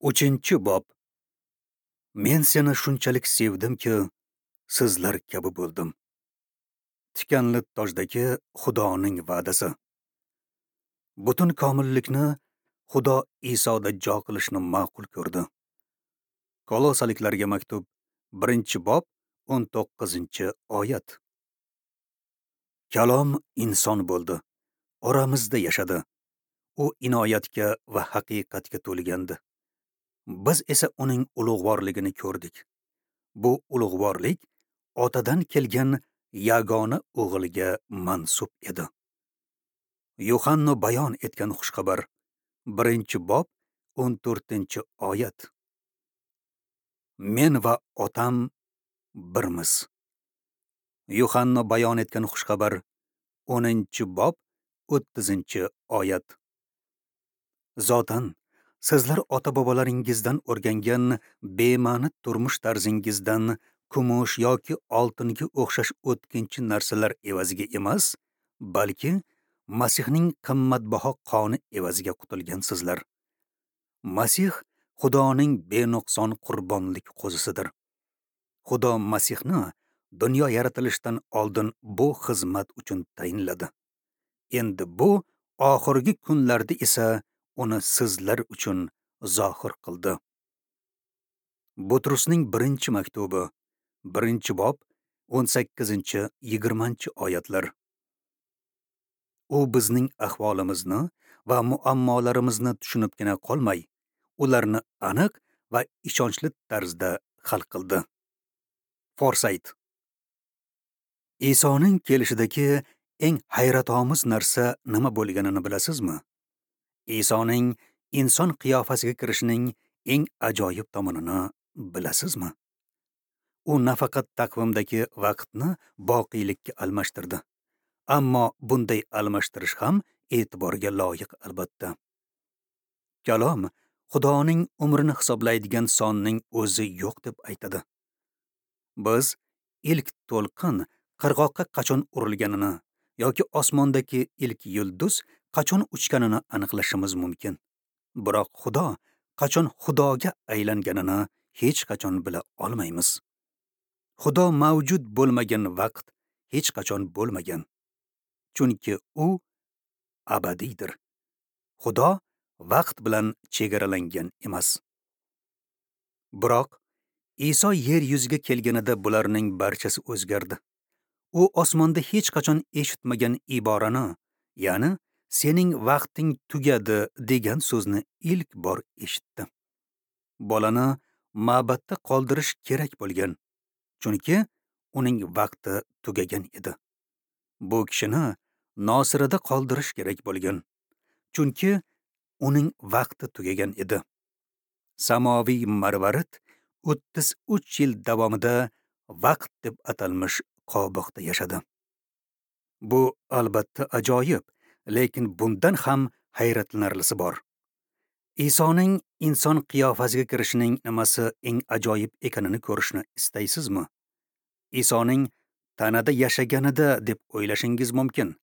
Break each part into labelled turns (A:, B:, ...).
A: 3-bob. Men seni shunchalik sevdimki, sizlar kabi bo'ldim. Tikanli tojdagi Xudoning va'dasi. Butun komillikni Xudo Isoda jo qilishni ma'qul ko'rdi. Kolosaliklarga maktub, 1-bob, 19-oyat. Kalom inson bo'ldi, oramizda yashadi. U inoyatga va haqiqatga to'lgandi. Biz esa uning ulug'vorligini ko'rdik. Bu ulug'vorlik otadan kelgan yagona o'g'ilga mansub edi. Yuhanno bayon etgan xushxabar, 1-bob, 14-oyat. Men va otam birmiz. Yuhanno bayon etgan xushxabar, 10-bob, 30-oyat. Zotan, sizlar ota-bobolaringizdan o'rgangan bema'ni turmush tarzingizdan kumush yoki oltinga o'xshash o'tkinchi narsalar evaziga emas, balki Masihning qimmatbaho qoni evaziga qutulgansizlar. Masih Xudoning benuqson qurbonlik qo'zisidir. Xudo Masihni dunyo yaratilishidan oldin bu xizmat uchun tayinladi. Endi bu oxirgi kunlarda esa uni sizlar uchun zohir qildi. Butrusning 1-maktubi, 1-bob, 18-20 oyatlar. U bizning ahvolimizni va muammolarimizni tushunibgina qolmay, ularni aniq va ishonchli tarzda hal qildi. Forsayt. Isoning kelishidagi eng hayratomuz narsa nima bo'lganini bilasizmi? Isoning inson qiyofasiga kirishining eng ajoyib tomonini bilasizmi? U nafaqat taqvimdagi vaqtni boqiylikka almashtirdi, ammo bunday almashtirish ham e'tiborga loyiq albatta. Kalom Xudoning umrini hisoblaydigan sonning o'zi yo'q deb aytadi. Biz ilk to'lqin qirg'oqqa qachon urilganini yoki osmondagi ilk yulduz qachon uchganini aniqlashimiz mumkin. Biroq Xudo qachon Xudoga aylanganini hech qachon bila olmaymiz. Xudo mavjud bo'lmagan vaqt hech qachon bo'lmagan. Chunki u abadiydir. Xudo vaqt bilan chegaralangan emas. Biroq Iso yer yuziga kelganida bularning barchasi o'zgardi. U osmonda hech qachon eshitmagan iborani, ya'ni sening vaqting tugadi degan so'zni ilk bor eshitdi. Bolani ma'batda qoldirish kerak bo'lgan, chunki uning vaqti tugagan edi. Bu kishini Nosirada qoldirish kerak bo'lgan, chunki uning vaqti tugagan edi. Samoviy marvarid 33 yil davomida vaqt deb atalmish qobiqda yashadi. Bu albatta ajoyib, lekin bundan ham hayratlanarlisi bor. Isoning inson qiyofasiga kirishining nimasi eng ajoyib ekanini ko'rishni istaysizmi? Isoning tanada yashaganida deb o'ylashingiz mumkin.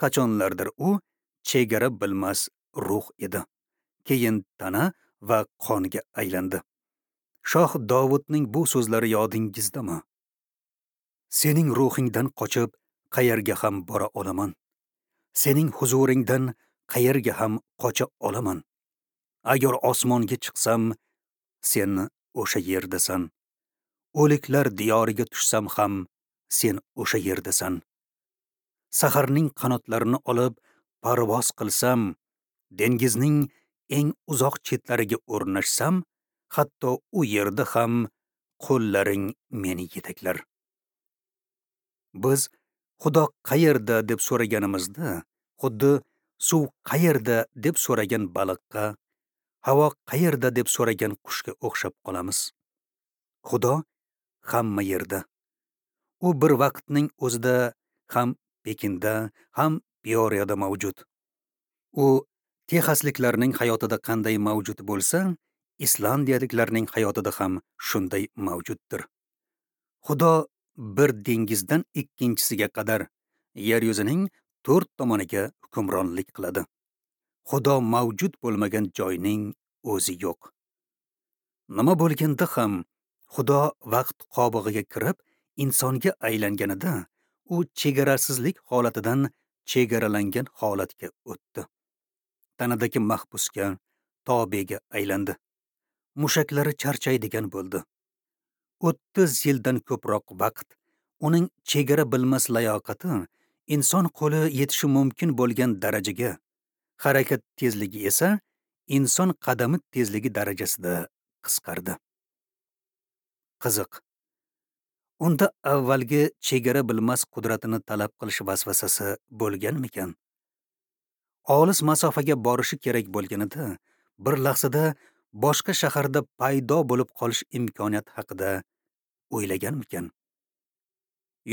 A: Qachonlardir u chegara bilmas ruh edi. Keyin tana va qonga aylandi. Shoh Dovudning bu so'zlari yodingizdami? Sening ruhingdan qochib qayerga ham bora olaman? Sening huzuringdan qayerga ham qocha olaman? Agar osmonga chiqsam, sen o'sha yerdasan. O'liklar diyoriga tushsam ham, sen o'sha yerdasan. Saharning qanotlarini olib parvoz qilsam, dengizning eng uzoq chetlariga o'rnashsam, hatto u yerda ham qo'llaring meni yetaklar. Biz Xudo qayerda deb so'raganimizda, xuddi suv qayerda deb so'ragan baliqqa, havo qayerda deb so'ragan qushga o'xshab qolamiz. Xudo hamma yerda. U bir vaqtning o'zida ham Pekinda, ham Pioriyada mavjud. U texasliklarning hayotida qanday mavjud bo'lsa, islandiyaliklarning hayotida ham shunday mavjuddir. Xudo bir dengizdan ikkinchisiga qadar yer yuzining 4 tomoniga hukmronlik qiladi. Xudo mavjud bo'lmagan joyning o'zi yo'q. Nima bo'lganda ham Xudo vaqt qobig'iga kirib insonga aylanganida u chegarasizlik holatidan chegaralangan holatga o'tdi. Tanadagi mahbusga, tobega aylandi. Mushaklari charchaydigan bo'ldi. 30 yildan ko'proq vaqt uning chegara bilmas layoqati inson qo'li yetishi mumkin bo'lgan darajaga, harakat tezligi esa inson qadami tezligi darajasida qisqardi. Qiziq. Unda avvalgi chegara bilmas qudratini talab qilish vasvasasi bo'lganmikan? Olis masofaga borishi kerak bo'lganida, bir lahzada boshqa shaharda paydo bo'lib qolish imkoniyati haqida o'ylaganmikan?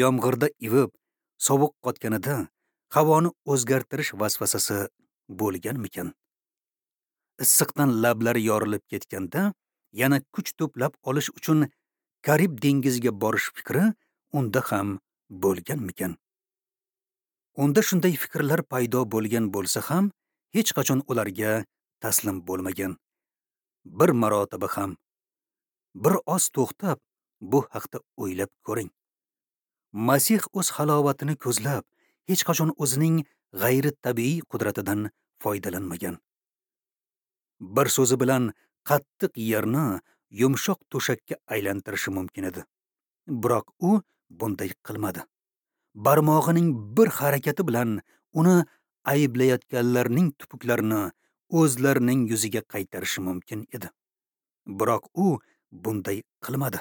A: Yomg'irda ivib, sovuq qotganida havoni o'zgartirish vasvasasi bo'lganmikan? Issiqdan lablari yorilib ketganda, yana kuch to'plab olish uchun Karib dengiziga borish fikri unda ham bo'lganmikan? Unda shunday fikrlar paydo bo'lgan bo'lsa ham, hech qachon ularga taslim bo'lmagan. Bir marotaba ham. Bir oz to'xtab, bu haqda o'ylab ko'ring. Masih o'z halovatini ko'zlab, hech qachon o'zining g'ayri-tabiiy qudratidan foydalanmagan. Bir so'zi bilan qattiq yerni yumshoq to'shakka aylantirishi mumkin edi. Biroq u bunday qilmadi. Barmog'ining bir harakati bilan uni ayblayotganlarning tupuklarini o'zlarining yuziga qaytarishi mumkin edi. Biroq u bunday qilmadi.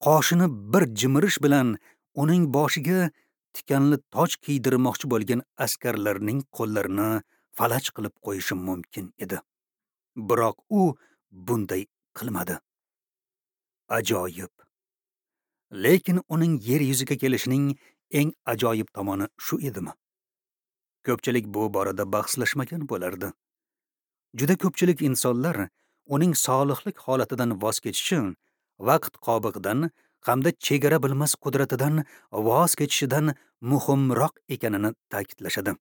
A: Qoshini bir jimirish bilan uning boshiga tikanli toj kiydirmoqchi bo'lgan askarlarning qo'llarini falaj qilib qo'yishi mumkin edi. Biroq u bunday qilmadi. Ajoyib. Lekin uning yer yuziga kelishining eng ajoyib tomoni shu edimi? Ko'pchilik bu borada bahslashmagan bo'lardi. Juda ko'pchilik insonlar uning solihlik holatidan voz kechishi, vaqt qobig'idan hamda chegara bilmas qudratidan voz kechishidan muhimroq ekanini ta'kidlashadi.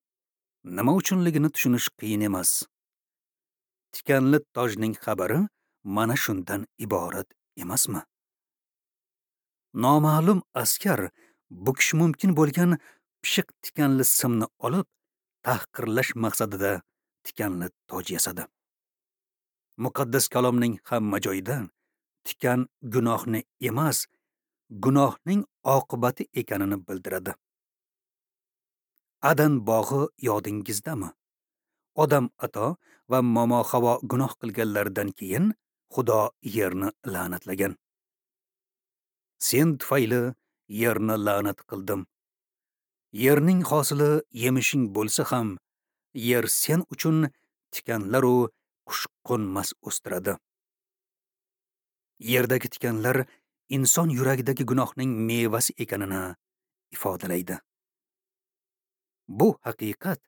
A: Nima uchunligini tushunish qiyin emas. Tikanli tojning xabari mana shundan iborat emasmi? Noma'lum askar bukish mumkin bo'lgan pishiq tikanli simni olib, tahqirlash maqsadida tikanli toj yasadi. Muqaddas kalomning hamma joyida tikan gunohni emas, gunohning oqibati ekanini bildiradi. Adan bog'i yodingizdami? Odam ato va momo Havo gunoh qilganlaridan keyin Xudo yerni la'natlagan. Sen tufayli yerni la'nat qildim. Yerning hosili yemishing bo'lsa ham, yer sen uchun tikanlar u qushqo'nmas o'stiradi. Yerdagi tikanlar inson yuragidagi gunohning mevasi ekanini ifodalaydi. Bu haqiqat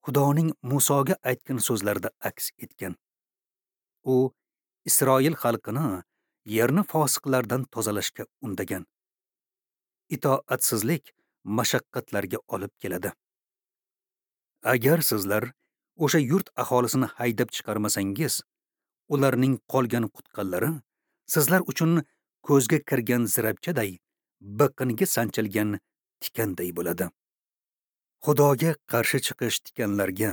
A: Xudoning Musoga aytgan so'zlarida aks etgan. U Isroil xalqini yerni fosiqlardan tozalashga undagan. Itoatsizlik mashaqqatlarga olib keladi. Agar sizlar o'sha yurt aholisini haydab chiqarmasangiz, ularning qolgan qutqanlari sizlar uchun ko'zga kirgan zirabchaday, biqinga sanchilgan tikanday bo'ladi. Xudoga qarshi chiqish tikanlarga,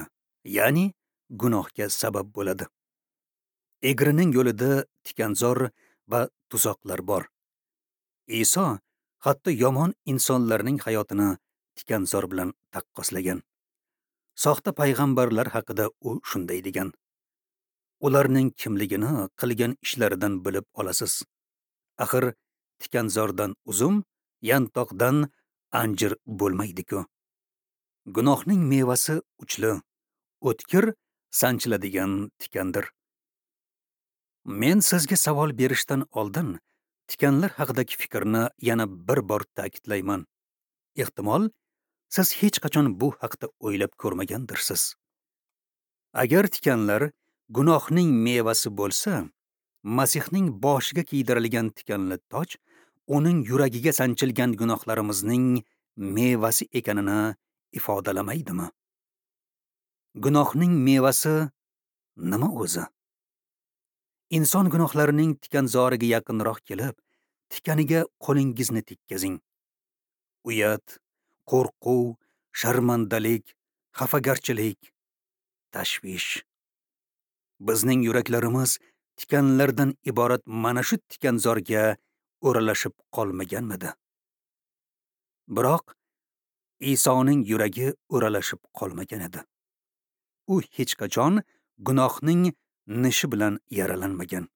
A: ya'ni gunohga sabab bo'ladi. Egrining yo'lida tikanzor va tuzoqlar bor. Iso hatto yomon insonlarning hayotini tikanzor bilan taqqoslagan. Soxta payg'ambarlar haqida u shunday degan: ularning kimligini qilgan ishlaridan bilib olasiz. Axir tikanzordan uzum, yantoqdan anjir bo'lmaydi-ku. Gunohning mevasi uchli, o'tkir, sanchiladigan tikandir. Men sizga savol berishdan oldin tikanlar haqidagi fikrni yana bir bor ta'kidlayman. Ehtimol, siz hech qachon bu haqda o'ylab ko'rmagandirsiz. Agar tikanlar gunohning mevasi bo'lsa, Masihning boshiga kiydirilgan tikanli toj uning yuragiga sanchilgan gunohlarimizning mevasi ekanini ifodalamaydimi? Gunohning mevasi nima o'zi? Inson gunohlarining tikanzoriga yaqinroq kelib, tikaniga qo'lingizni tekkazing. Uyat, qo'rquv, sharmandalik, xafagarchilik, tashvish. Bizning yuraklarimiz tikanlardan iborat mana shu tikanzorga o'ralashib qolmaganmidi? Biroq Isoning yuragi o'ralashib qolmagan edi. U hech qachon gunohning nishi bilan yaralanmagan.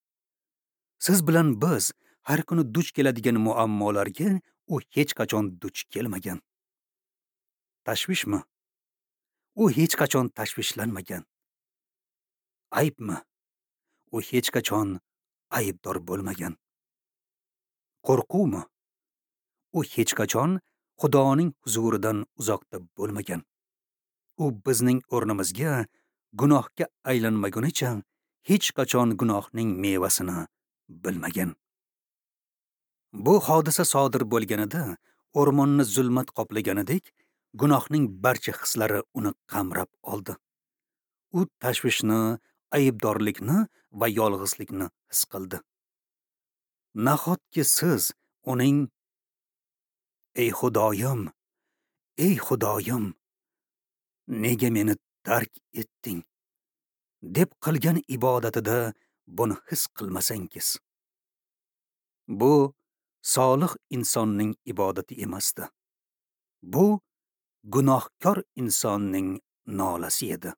A: Siz bilan biz har kuni duch keladigan muammolarga u hech qachon duch kelmagan. Tashvishmi? U hech qachon tashvishlanmagan. Aybmi? U hech qachon aybdor bo'lmagan. Qo'rquvmi? U hech qachon Xudoning huzuridan uzoqda bo'lmagan. U bizning o'rnimizga gunohga aylanmagunicha hech qachon gunohning mevasini bilmagan. Bu hodisa sodir bo'lganida o'rmonni zulmat qoplaganidek, gunohning barcha hislari uni qamrab oldi. U tashvishni, aybdorlikni va yolg'izlikni his qildi. Nahotki siz uning "Ey Xudoyim, ey Xudoyim, nega meni tark etding?" deb qilgan ibodatida buni his qilmasangiz. Bu solih insonning ibodati emasdi. Bu gunohkor insonning nolasi edi.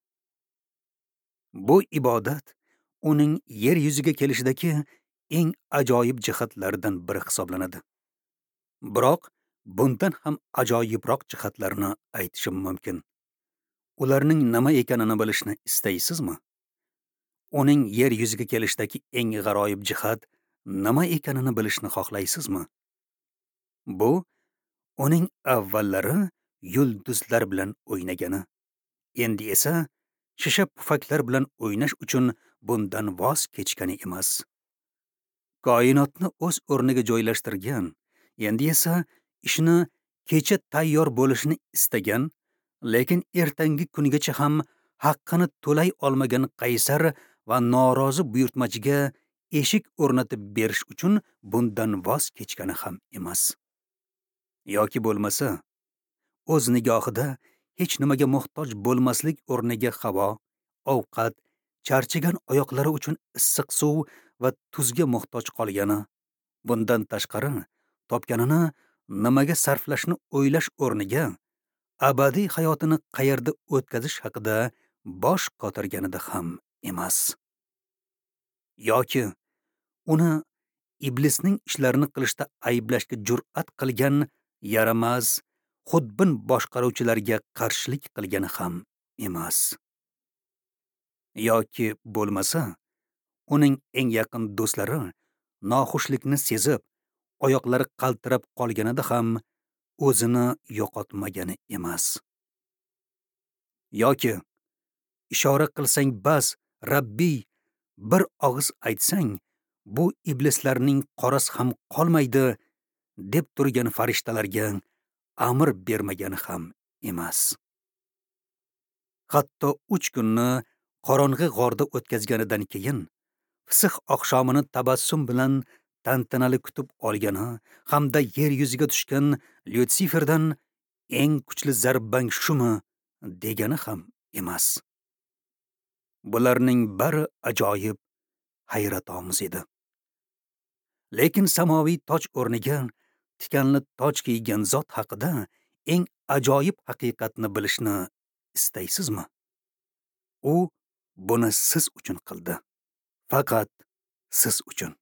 A: Bu ibodat uning yer yuziga kelishidagi eng ajoyib jihatlardan biri hisoblanadi. Biroq bundan ham ajoyibroq jihatlarni aytishim mumkin. Ularning nima ekanini bilishni istaysizmi? Uning yer yuziga kelishidagi eng g'aroyib jihat nima ekanini bilishni xohlaysizmi? Bu uning avvallari yulduzlar bilan o'ynagani, endi esa shisha pufaklar bilan o'ynash uchun bundan voz kechgani emas. Koinotni o'z o'rniga joylashtirgan, endi esa ishni kecha tayyor bo'lishini istagan, lekin ertangi kungacha ham haqqini to'lay olmagan qaysar va norozi buyurtmachiga eshik o'rnatib berish uchun bundan voz kechgani ham emas. Yoki bo'lmasa, o'z nigohida hech nimaga muhtoj bo'lmaslik o'rniga havo, ovqat, charchagan oyoqlari uchun issiq suv va tuzga muhtoj qolgani, bundan tashqari topganini nimaga sarflashni o'ylash o'rniga abadiy hayotini qayerda o'tkazish haqida bosh qotirganida ham emas. Yoki uni iblisning ishlarini qilishda ayblashga jur'at qilgan yaramas, xudbin boshqaruvchilarga qarshilik qilgani ham emas. Yoki bo'lmasa, uning eng yaqin do'stlari noxushlikni sezib, oyoqlari qaltirab qolganida ham o'zini yo'qotmagani emas. Yoki ishora qilsang bas, Rabbiy, bir og'iz aytsang, bu iblislarning qorasi ham qolmaydi deb turgan farishtalarga amr bermagani ham emas. Hatto 3 kunni qorong'i g'orda o'tkazganidan keyin Fisix oqshomini tabassum bilan tantanali kutib olgani hamda yer yuziga tushgan Lyutsiferdan eng kuchli zarbang shumi degani ham emas. Bularning bari ajoyib, hayratomuz edi. Lekin samoviy toj o'rniga tikanli toj kiygan zot haqida eng ajoyib haqiqatni bilishni istaysizmi? U buni siz uchun qildi. Faqat siz uchun.